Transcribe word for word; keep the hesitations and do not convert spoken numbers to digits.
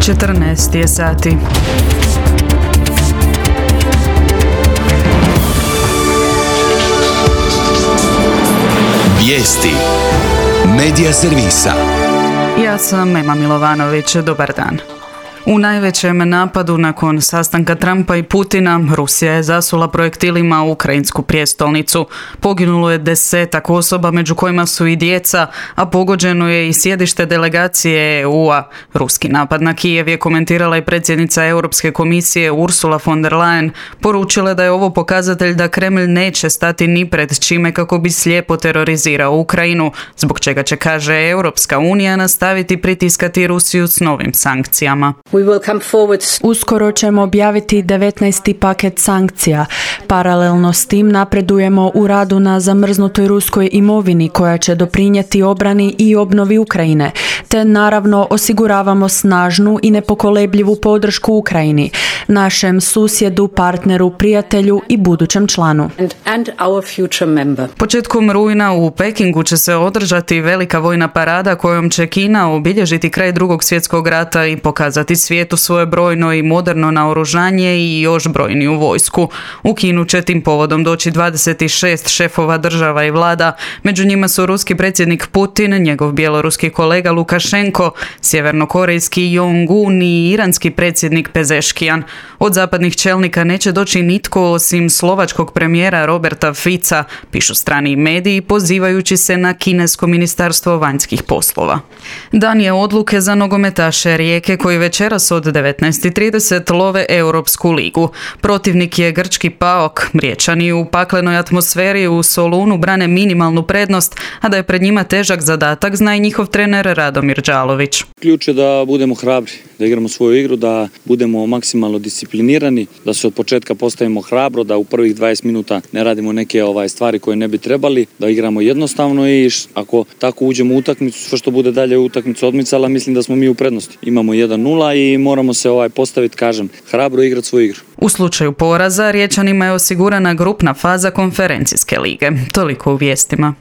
četrnaest je sati. Vijesti Medija servisa. Ja sam Ema Milovanović, dobar dan. U najvećem napadu nakon sastanka Trumpa i Putina, Rusija je zasula projektilima ukrajinsku prijestolnicu. Poginulo je desetak osoba, među kojima su i djeca, a pogođeno je i sjedište delegacije E U-a. Ruski napad na Kijev je komentirala i predsjednica Europske komisije Ursula von der Leyen. Poručila da je ovo pokazatelj da Kremlj neće stati ni pred čime kako bi slijepo terorizirao Ukrajinu, zbog čega će, kaže, Europska unija nastaviti pritiskati Rusiju s novim sankcijama. Uskoro ćemo objaviti devetnaesti paket sankcija. Paralelno s tim napredujemo u radu na zamrznutoj ruskoj imovini koja će doprinijeti obrani i obnovi Ukrajine, te naravno osiguravamo snažnu i nepokolebljivu podršku Ukrajini, našem susjedu, partneru, prijatelju i budućem članu. Početkom rujna u Pekingu će se održati velika vojna parada kojom će Kina obilježiti kraj Drugog svjetskog rata i pokazati svijetu svoje brojno i moderno naoružanje i još brojniju vojsku. U Kinu će tim povodom doći dvadeset šest šefova država i vlada, među njima su ruski predsjednik Putin, njegov bjeloruski kolega Lukašenko, sjevernokorejski Jong-un i iranski predsjednik Pezeškijan. Od zapadnih čelnika neće doći nitko osim slovačkog premijera Roberta Fica, pišu strani mediji pozivajući se na kinesko ministarstvo vanjskih poslova. Dan je odluke za nogometaše Rijeke koji večeras od devetnaest i trideset love Europsku ligu. Protivnik je grčki PAOK. Riječani u paklenoj atmosferi u Solunu brane minimalnu prednost, a da je pred njima težak zadatak zna i njihov trener Radomir Đalović. Ključ je da budemo hrabri, da igramo svoju igru, da budemo maksimalno disciplinirani, da se od početka postavimo hrabro, da u prvih dvadeset minuta ne radimo neke ovaj stvari koje ne bi trebali, da igramo jednostavno i ako tako uđemo u utakmicu, sve što bude dalje u utakmicu odmicala, mislim da smo mi u prednosti. Imamo jedan nula i moramo se ovaj postaviti, kažem, hrabro igrati svoju igru. U slučaju poraza Riječanima je osigurana grupna faza konferencijske lige. Toliko u vijestima.